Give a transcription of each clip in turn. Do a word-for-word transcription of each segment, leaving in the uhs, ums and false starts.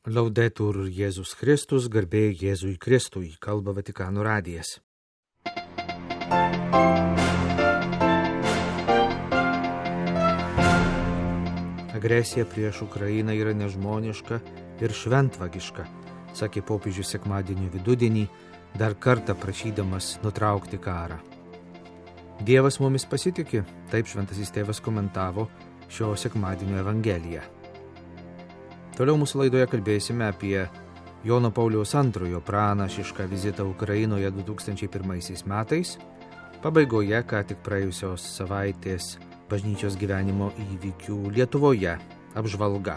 Laudetur Jėzus Kristus, garbė Jėzui Kristui, kalba Vatikano radijas. Agresija prieš Ukrainą yra nežmoniška ir šventvagiška, sakė popiežius sekmadienio vidudienį, dar kartą prašydamas nutraukti karą. Dievas mumis pasitiki, taip šventasis tėvas komentavo šio sekmadienio evangeliją. Toliau mūsų laidoje kalbėsime apie Jono Pauliaus antrojo pranašišką vizitą Ukrainoje du tūkstančiai pirmaisiais metais, pabaigoje ką tik praėjusios savaitės bažnyčios gyvenimo įvykių Lietuvoje apžvalga.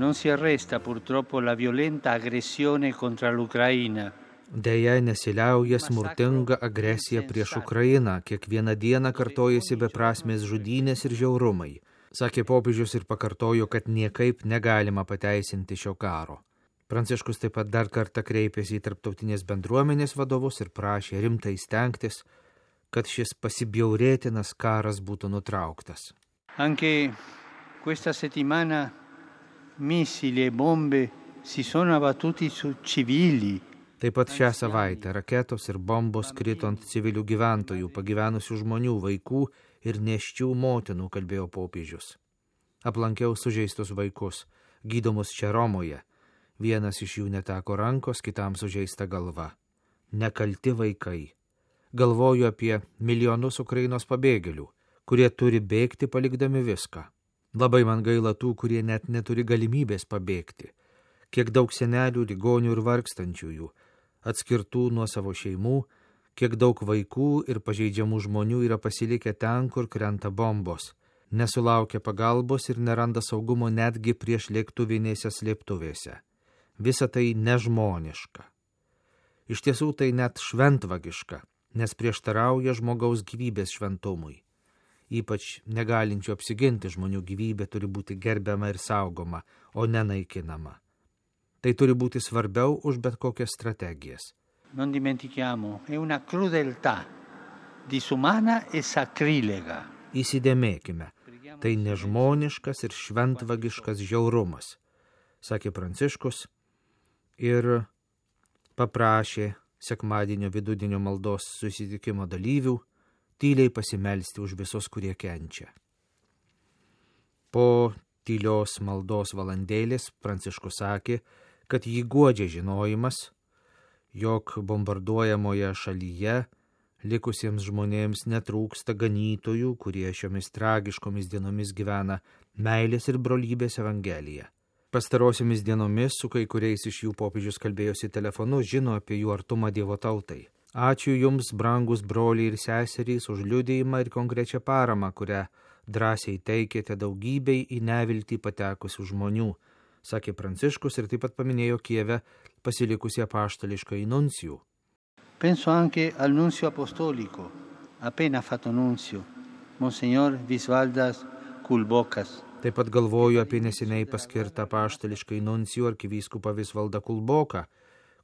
Non si arresta purtroppo la violenta aggressione contro l'Ucraina. Deja, nesiliauja smurtinga agresija prieš Ukrainą, kiekvieną dieną kartojasi beprasmės žudynės ir žiaurumai. Sakė popiežius ir pakartojo, kad niekaip negalima pateisinti šio karo. Pranciškus taip pat dar kartą kreipėsi į tarptautinės bendruomenės vadovus ir prašė rimtai stengtis, kad šis pasibjaurėtinas karas būtų nutrauktas. Anche questa settimana missili e bombe si sono abbattuti su civili. Taip pat šią savaitę raketos ir bombos krito ant civilių gyventojų, pagyvenusių žmonių, vaikų ir nėščių motinų, kalbėjo popiežius. Aplankiau sužeistus vaikus, gydomus čia Romoje. Vienas iš jų neteko rankos, kitam sužeista galva. Nekalti vaikai. Galvoju apie milijonus Ukrainos pabėgėlių, kurie turi bėgti palikdami viską. Labai man gaila tų, kurie net neturi galimybės pabėgti. Kiek daug senelių, ligonių ir vargstančiųjų, atskirtų nuo savo šeimų, kiek daug vaikų ir pažeidžiamų žmonių yra pasilikę ten, kur krenta bombos, nesulaukia pagalbos ir neranda saugumo netgi prieš lėktuvinėse slėptuvėse. Visa tai nežmoniška. Iš tiesų tai net šventvagiška, nes prieštarauja žmogaus gyvybės šventumui. Ypač negalinčių apsiginti žmonių gyvybė turi būti gerbiama ir saugoma, o nenaikinama. Tai turi būti svarbiau už bet kokias strategijas. Non dimentichiamo, è una crudeltà disumana e sacrilega. Įsidėmėkime, tai nežmoniškas ir šventvagiškas žiaurumas, sakė Pranciškus ir paprašė sekmadienio vidudienio maldos susitikimo dalyvių tyliai pasimelsti už visus, kurie kenčia. Po tylios maldos valandėlės Pranciškus sakė, kad jį guodžia žinojimas, jog bombarduojamoje šalyje likusiems žmonėms netrūksta ganytojų, kurie šiomis tragiškomis dienomis gyvena meilės ir brolybės evangeliją. Pastarosiomis dienomis su kai kuriais iš jų popiežius kalbėjosi telefonu, žino apie jų artumą Dievo tautai. Ačiū jums, brangus broliai ir seserys, už liudijimą ir konkrečią paramą, kurią drąsiai teikėte daugybei į neviltį patekusių žmonių, sakė Pranciškus ir taip pat paminėjo Kijeve pasilikusi apaštališką nuncijų. Penso anche al nunzio apostolico, appena fatto nunzio, Monsignor Visvaldas Kulbokas. Taip pat galvoju apie neseniai paskirtą apaštališką nuncijų arkivyskupą Visvaldą Kulboką,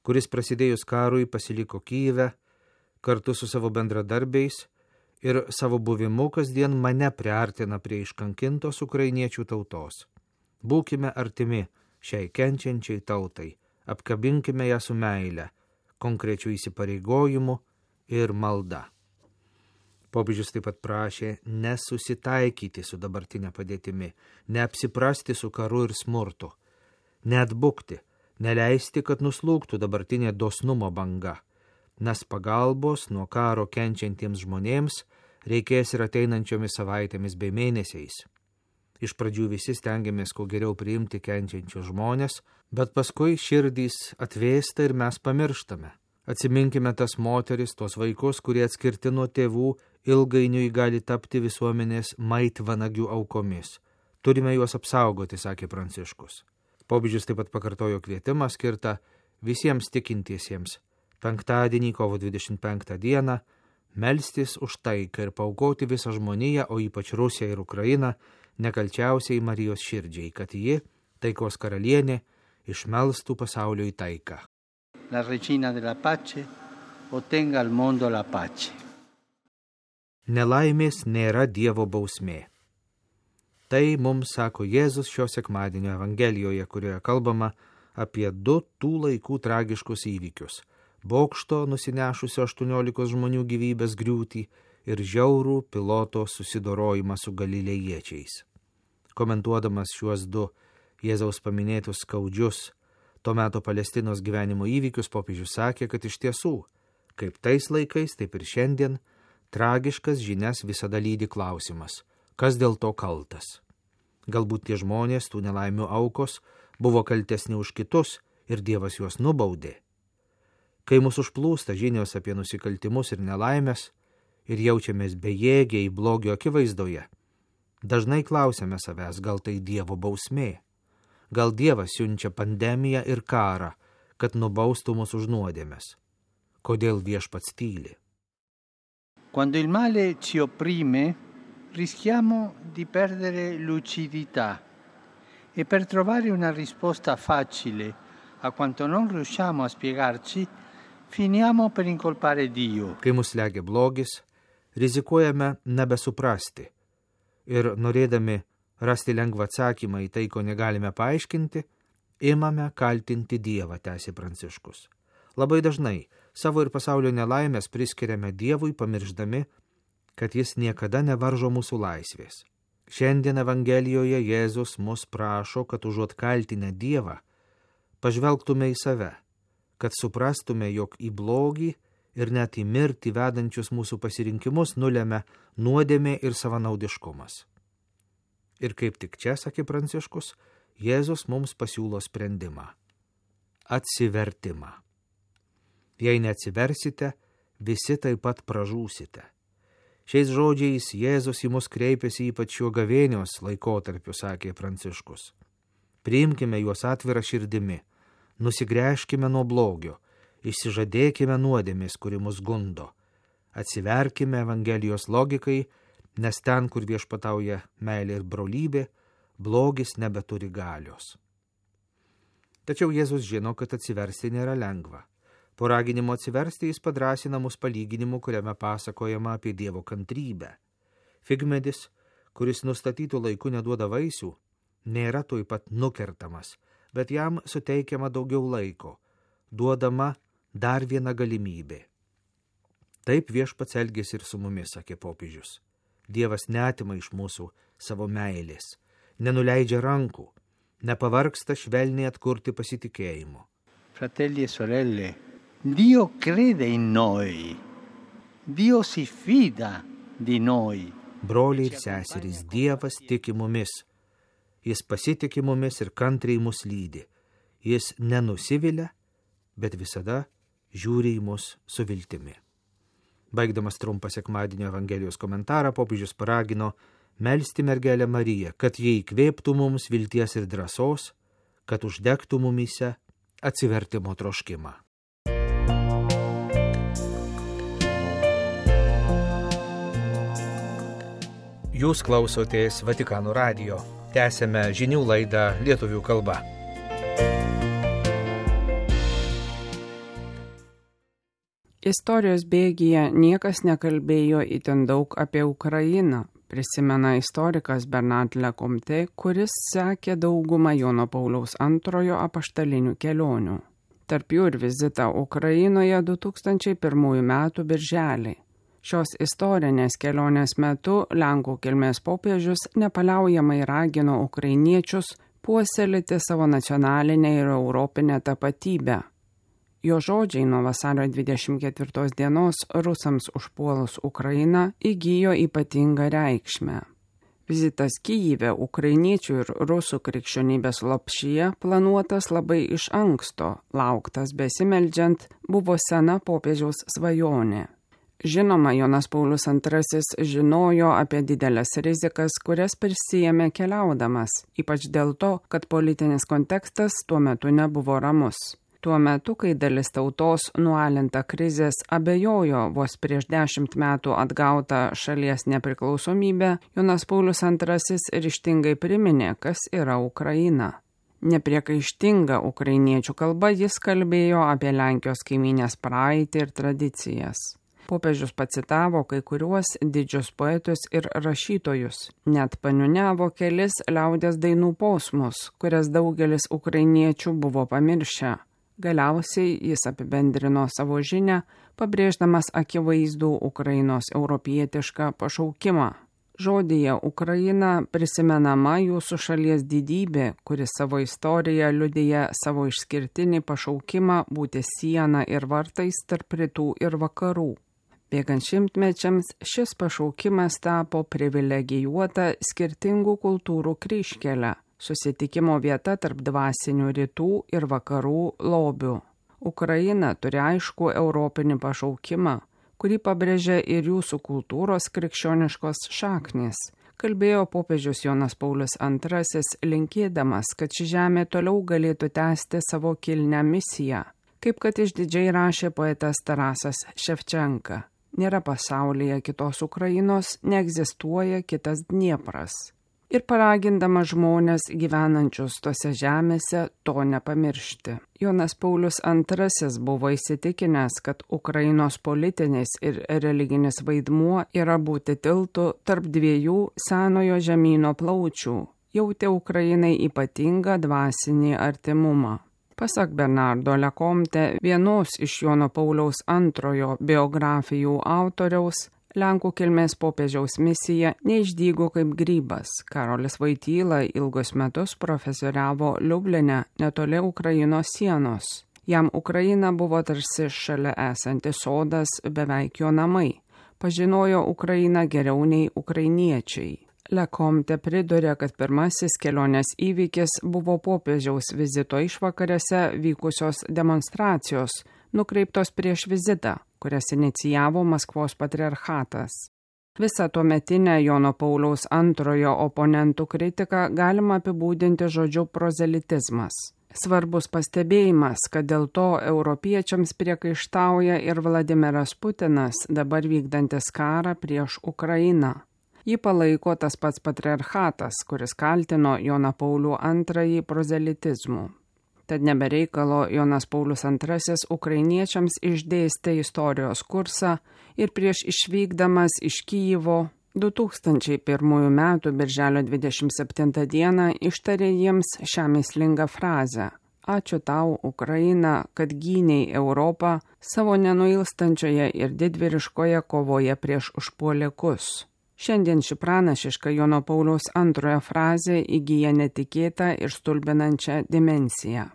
kuris prasidėjus karui pasiliko Kijeve kartu su savo bendradarbiais ir savo buvimu kasdien mane priartina prie iškankintos ukrainiečių tautos. Būkime artimi šiai kenčiančiai tautai, apkabinkime ją su meile, konkrečiu įsipareigojimu ir malda. Popiežius taip pat prašė nesusitaikyti su dabartinė padėtimi, neapsiprasti su karu ir smurtu, neatbukti, neleisti, kad nuslūgtų dabartinė dosnumo banga, nes pagalbos nuo karo kenčiantiems žmonėms reikės ir ateinančiomis savaitėmis bei mėnesiais. Iš pradžių visi stengiamės kuo geriau priimti kenčiančius žmonės, bet paskui širdys atvėsta ir mes pamirštame. Atsiminkime tas moteris, tos vaikus, kurie atskirti nuo tėvų ilgainiui gali tapti visuomenės maitvanagių aukomis. Turime juos apsaugoti, sakė Pranciškus. Popiežius taip pat pakartojo kvietimą skirtą visiems tikintiesiems penktadienį, kovo dvidešimt penktą dieną, melstis už taiką ir paaukoti visą žmoniją, o ypač Rusiją ir Ukrainą, nekalčiausiai Marijos širdžiai, kad ji, taikos karalienė, išmelstų pasaulio į taiką. La regina della pace ottenga al mondo la pace. Nelaimės nėra Dievo bausmė. Tai mums sako Jėzus šio sekmadienio Evangelijoje, kurioje kalbama apie du tų laikų tragiškus įvykius – bokšto nusinešusio aštuoniolikos žmonių gyvybės griūtį ir žiaurų piloto susidorojimą su galilėjiečiais. Komentuodamas šiuos du Jėzaus paminėtus skaudžius to meto Palestinos gyvenimo įvykius, popiežius sakė, kad iš tiesų, kaip tais laikais, taip ir šiandien, tragiškas žinias visada lydi klausimas, kas dėl to kaltas. Galbūt tie žmonės, tų nelaimių aukos, buvo kaltesni už kitus ir Dievas juos nubaudė. Kai mus užplūsta žinios apie nusikaltimus ir nelaimės ir jaučiamės bejėgiai blogio akivaizdoje, dažnai klausiame savęs, gal tai Dievo bausmė. Gal Dievas siunčia pandemiją ir karą, kad nubaustų mus už nuodėmes. Kodėl Viešpats tyli? Quando il male ci opprime, rischiamo di perdere lucidità e per trovare una risposta facile a quanto non riusciamo a spiegarci, finiamo per incolpare Dio. Kai mus slegia blogis, rizikuojame nebesuprasti ir norėdami rasti lengvą atsakymą į tai, ko negalime paaiškinti, imame kaltinti Dievą, tęsė Pranciškus. Labai dažnai savo ir pasaulio nelaimės priskiriame Dievui, pamirždami, kad jis niekada nevaržo mūsų laisvės. Šiandien Evangelijoje Jėzus mus prašo, kad užuot kaltinę Dievą, pažvelgtume į save, kad suprastume, jog į blogį ir net į mirtį vedančius mūsų pasirinkimus nulemia nuodėmė ir savanaudiškumas. Ir kaip tik čia, sakė Pranciškus, Jėzus mums pasiūlo sprendimą – atsivertimą. Jei neatsiversite, visi taip pat pražūsite. Šiais žodžiais Jėzus į mus kreipėsi ypač šiuo gavėnios laikotarpiu, sakė Pranciškus. Priimkime juos atvirą širdimi, nusigręžkime nuo blogio, išsižadėkime nuodėmės, kuri mus gundo, atsiverkime Evangelijos logikai, nes ten, kur viešpatauja meilė ir brolybė, blogis nebeturi galios. Tačiau Jėzus žino, kad atsiversti nėra lengva. Po raginimo atsiversti jis padrąsina mus palyginimu, kuriame pasakojama apie Dievo kantrybę. Figmedis, kuris nustatytų laiku neduoda vaisių, nėra tuoj pat nukertamas, bet jam suteikiama daugiau laiko, duodama dar viena galimybė. Taip Viešpats elgėsi ir su mumis, sakė popiežius. Dievas neatima iš mūsų savo meilės, nenuleidžia rankų, nepavargsta švelniai atkurti pasitikėjimo. Fratelli e sorelle, Dio crede in noi. Dio si fida di noi. Broliai ir seserys, Dievas tiki mumis. Jis pasitiki mumis ir kantriai mus lydi. Jis nenusivilia, bet visada žiūri į mus su viltimi. Baigdamas trumpą sekmadienio Evangelijos komentarą, popiežius paragino melsti mergelę Mariją, kad jie įkvėptų mums vilties ir drąsos, kad uždegtų mumyse atsivertimo troškimą. Jūs klausotės Vatikano radijo. Tęsėme žinių laidą lietuvių kalba. Istorijos bėgyje niekas nekalbėjo itin daug apie Ukrainą, prisimena istorikas Bernard Lecomte, kuris sekė daugumą Jono Pauliaus antrojo apaštalinių kelionių. Tarp jų ir vizitą Ukrainoje du tūkstančiai pirmųjų metų birželį. Šios istorinės kelionės metu Lenkų kilmės popiežius nepaliaujamai ragino ukrainiečius puoselėti savo nacionalinę ir europinę tapatybę. Jo žodžiai nuo vasario dvidešimt ketvirtos dienos rusams užpuolus Ukrainą įgijo ypatingą reikšmę. Vizitas Kyjive ukrainiečių ir rusų krikščionybės lopšyje planuotas labai iš anksto, lauktas besimeldžiant, buvo sena popiežiaus svajonė. Žinoma, Jonas Paulius antrasis žinojo apie didelės rizikas, kurias prisijėmė keliaudamas, ypač dėl to, kad politinis kontekstas tuo metu nebuvo ramus. Tuo metu, kai dalis tautos nualinta krizės abejojo vos prieš dešimt metų atgautą šalies nepriklausomybę, Jonas Paulius antrasis ryžtingai priminė, kas yra Ukraina. Nepriekaištinga ukrainiečių kalba jis kalbėjo apie Lenkijos kaimynės praeitį ir tradicijas. Popiežius pacitavo kai kuriuos didžius poetus ir rašytojus, net paniuniavo kelis liaudies dainų posmus, kurias daugelis ukrainiečių buvo pamiršę. Galiausiai jis apibendrino savo žinią, pabrėždamas akivaizdų Ukrainos europietišką pašaukimą. Žodyje Ukraina prisimenama jūsų šalies didybė, kuri savo istoriją liudija savo išskirtinį pašaukimą būti siena ir vartais tarp rytų ir vakarų. Bėgant šimtmečiams šis pašaukimas tapo privilegijuota skirtingų kultūrų kryžkelė, susitikimo vieta tarp dvasinių rytų ir vakarų lobių. Ukraina turi aiškų europinį pašaukimą, kurį pabrėžia ir jūsų kultūros krikščioniškos šaknys, kalbėjo popiežius Jonas Paulius antrasis, linkėdamas, kad ši žemė toliau galėtų tęsti savo kilnią misiją, kaip kad išdidžiai rašė poetas Tarasas Ševčenka. Nėra pasaulyje kitos Ukrainos, neegzistuoja kitas Dniepras. Ir paragindama žmonės gyvenančius tose žemėse to nepamiršti. Jonas Paulius antrasis buvo įsitikinęs, kad Ukrainos politinis ir religinis vaidmuo yra būti tiltu tarp dviejų senojo žemyno plaučių, jautė Ukrainai ypatingą dvasinį artimumą. Pasak Bernardo Lecomte, vienos iš Jono Pauliaus antrojo biografijų autoriaus, Lenkų kilmės popiežiaus misija neišdygo kaip grybas. Karolis Vaityla ilgus metus profesoriavo Liubline netoli Ukrainos sienos. Jam Ukraina buvo tarsi šalia esantis sodas, beveik jo namai. Pažinojo Ukrainą geriau nei ukrainiečiai. Lecomte pridūrė, kad pirmasis kelionės įvykis buvo popiežiaus vizito išvakarėse vykusios demonstracijos, nukreiptos prieš vizitą, kurias inicijavo Maskvos patriarchatas. Visą tuometinę Jono Pauliaus antrojo oponentų kritiką galima apibūdinti žodžiu prozelitizmas. Svarbus pastebėjimas, kad dėl to europiečiams priekaištauja ir Vladimiras Putinas, dabar vykdantis karą prieš Ukrainą. Jį palaiko tas pats patriarchatas, kuris kaltino Joną Paulių antrąjį prozelitizmu. Tad nebereikalo Jonas Paulius antrasis ukrainiečiams išdėstė istorijos kursą ir prieš išvykdamas iš Kijevo du tūkstančiai pirmųjų metų birželio dvidešimt septintą dieną ištarė jiems šią mįslingą frazę: Ačiū tau, Ukraina, kad gynei Europą savo nenuilstančioje ir didvyriškoje kovoje prieš užpuolikus. Šiandien ši pranašiška Jono Pauliaus antrojo frazė įgyja netikėtą ir stulbinančią dimensiją.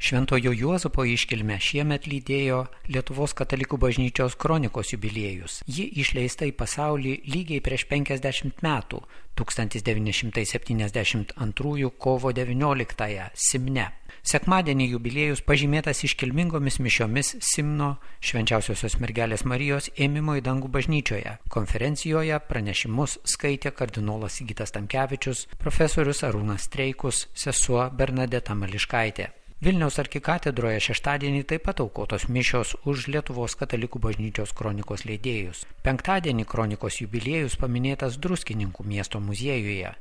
Šventojo Juozapo iškilmę šiemet lydėjo Lietuvos katalikų bažnyčios kronikos jubiliejus. Ji išleista į pasaulį lygiai prieš penkiasdešimt metų, tūkstantis devyni šimtai septyniasdešimt antrųjų kovo devynioliktąją Simne. Sekmadienį jubiliejus pažymėtas iškilmingomis mišiomis Simno Švenčiausiosios mergelės Marijos ėmimo į dangų bažnyčioje. Konferencijoje pranešimus skaitė kardinolas Sigitas Tamkevičius, profesorius Arūnas Streikus, sesuo Bernadeta Mališkaitė. Vilniaus arkikatedroje šeštadienį taip pat aukotos mišios už Lietuvos katalikų bažnyčios kronikos leidėjus. Penktadienį kronikos jubiliejus paminėtas Druskininkų miesto muziejuje.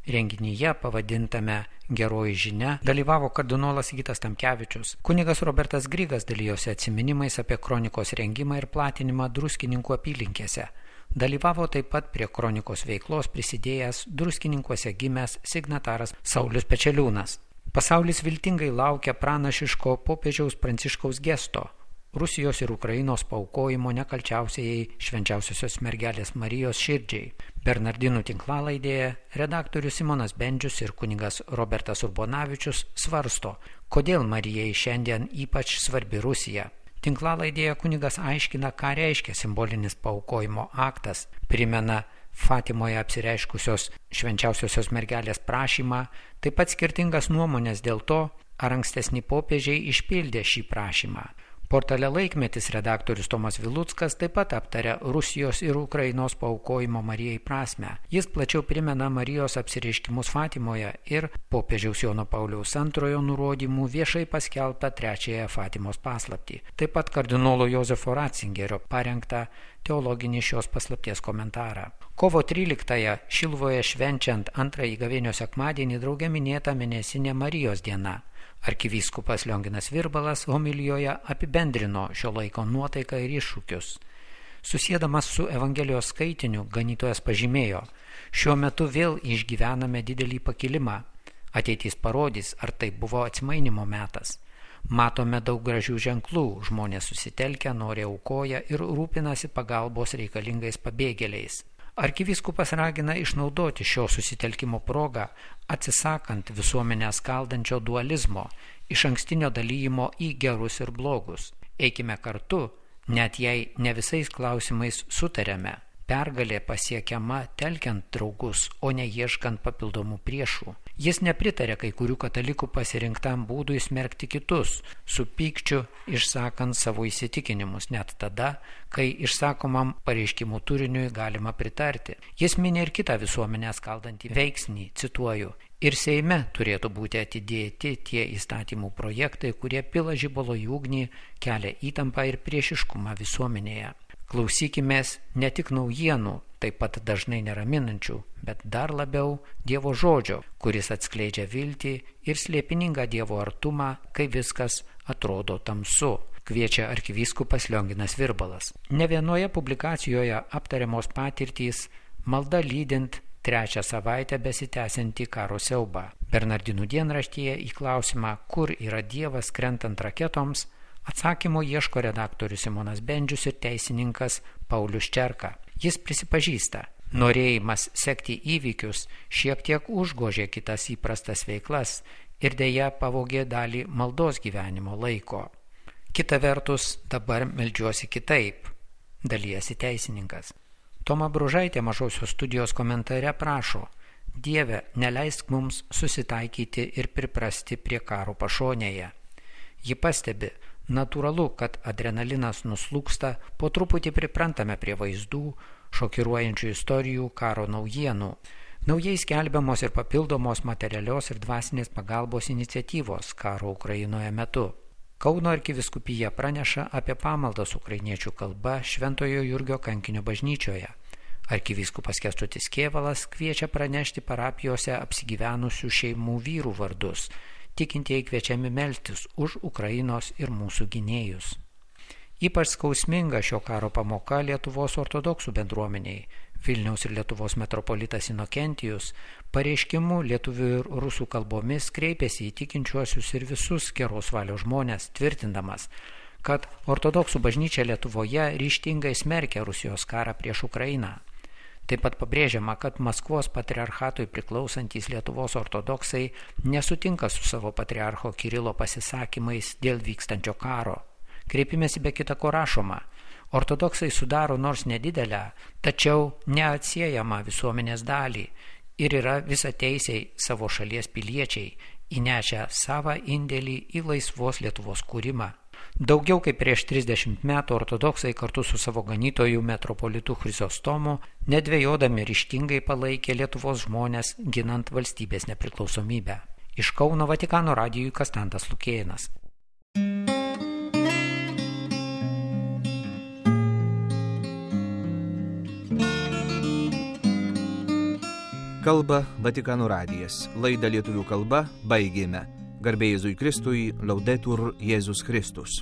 Renginyje pavadintame Geroji žinia dalyvavo kardinolas Sigitas Tamkevičius. Kunigas Robertas Grigas dalijosi atsiminimais apie kronikos rengimą ir platinimą Druskininkų apylinkėse. Dalyvavo taip pat prie kronikos veiklos prisidėjęs Druskininkuose gimęs signataras Saulius Pečeliūnas. Pasaulis viltingai laukia pranašiško popiežiaus Pranciškaus gesto – Rusijos ir Ukrainos paaukojimo nekalčiausiai Švenčiausiosios mergelės Marijos širdžiai. Bernardinų tinklalaidėje redaktorius Simonas Bendžius ir kunigas Robertas Urbonavičius svarsto, kodėl Marijai šiandien ypač svarbi Rusija. Tinklalaidėje kunigas aiškina, ką reiškia simbolinis paaukojimo aktas, primena Fatimoje apsireiškusios Švenčiausiosios mergelės prašymą, taip pat skirtingas nuomonės dėl to, ar ankstesni popiežiai išpildė šį prašymą. Portale Laikmetis redaktorius Tomas Viluckas taip pat aptarė Rusijos ir Ukrainos paaukojimo Marijai prasmę. Jis plačiau primena Marijos apsireiškimus Fatimoje ir popiežiaus Jono Pauliaus antrojo nurodymų viešai paskelbtą trečiąją Fatimos paslaptį. Taip pat kardinolo Jozefo Ratzingerio parengtą teologinį šios paslapties komentarą. Kovo tryliktąją Šiluvoje švenčiant antrąjį gavėnio sekmadienį drauge minėta mėnesinė Marijos diena. Arkivyskupas Lionginas Virbalas homilijoje apibendrino šio laiko nuotaiką ir iššūkius. Susiedamas su Evangelijos skaitiniu, ganytojas pažymėjo: šiuo metu vėl išgyvename didelį pakilimą. Ateitis parodys, ar tai buvo atsimainimo metas. Matome daug gražių ženklų, žmonės susitelkia, nori aukoja ir rūpinasi pagalbos reikalingais pabėgėliais. Arkivyskupas ragina išnaudoti šio susitelkimo progą, atsisakant visuomenę skaldančio dualizmo, iš ankstinio dalyjimo į gerus ir blogus. Eikime kartu, net jei ne visais klausimais sutarėme. Pergalė pasiekiama telkiant draugus, o ne ieškant papildomų priešų. Jis nepritarė kai kurių katalikų pasirinktam būdui smerkti kitus, su pykčiu išsakant savo įsitikinimus, net tada, kai išsakomam pareiškimų turiniui galima pritarti. Jis minė ir kitą visuomenę skaldantį veiksnį, cituoju: ir Seime turėtų būti atidėti tie įstatymų projektai, kurie pila žibalo į ugnį, kelia įtampą ir priešiškumą visuomenėje. Klausykimės ne tik naujienų, taip pat dažnai neraminančių, bet dar labiau Dievo žodžio, kuris atskleidžia viltį ir slėpiningą Dievo artumą, kai viskas atrodo tamsu, kviečia arkivyskupas Lionginas Virbalas. Ne vienoje publikacijoje aptariamos patirtys, malda lydint trečią savaitę besitęsiantį karo siaubą. Bernardinų dienraštyje į klausimą, kur yra Dievas krentant raketoms, atsakymo ieško redaktorius Simonas Bendžius ir teisininkas Paulius Čerka. Jis prisipažįsta, norėjimas sekti įvykius šiek tiek užgožė kitas įprastas veiklas ir deja pavogė dalį maldos gyvenimo laiko. Kita vertus, dabar meldžiuosi kitaip, dalijasi teisininkas. Toma Bružaitė Mažosios studijos komentare prašo: Dieve, neleisk mums susitaikyti ir priprasti prie karo pašonėje. Ji pastebi, natūralu, kad adrenalinas nuslūksta, po truputį priprantame prie vaizdų, šokiruojančių istorijų, karo naujienų. Naujai skelbiamos ir papildomos materialios ir dvasinės pagalbos iniciatyvos karo Ukrainoje metu. Kauno arkivyskupija praneša apie pamaldas ukrainiečių kalba Šventojo Jurgio kankinio bažnyčioje. Arkivyskupas Kęstutis Kėvalas kviečia pranešti parapijose apsigyvenusių šeimų vyrų vardus. Tikintieji kviečiami melstis už Ukrainos ir mūsų gynėjus. Ypač skausminga šio karo pamoka Lietuvos ortodoksų bendruomeniai. Vilniaus ir Lietuvos metropolitas Inokentijus pareiškimu lietuvių ir rusų kalbomis kreipėsi į tikinčiuosius ir visus geros valios žmonės, tvirtindamas, kad ortodoksų bažnyčia Lietuvoje ryžtingai smerkia Rusijos karą prieš Ukrainą. Taip pat pabrėžiama, kad Maskvos patriarchatui priklausantys Lietuvos ortodoksai nesutinka su savo patriarcho Kirilo pasisakymais dėl vykstančio karo. Kreipimėsi be kita ko rašoma: ortodoksai sudaro nors nedidelę, tačiau neatsiejamą visuomenės dalį ir yra visateisiai savo šalies piliečiai, įnešę savą indėlį į laisvos Lietuvos kūrimą. Daugiau kaip prieš trisdešimt metų ortodoksai kartu su savo ganytoju metropolitu Chryzostomu nedvejodami ryžtingai palaikė Lietuvos žmonės ginant valstybės nepriklausomybę. Iš Kauno Vatikano radijui Kastantas Lukėnas. Kalba Vatikano radijas. Laidą lietuvių kalba baigėme. Garbė Jėzui Kristui, Laudetur Jėzus Kristus.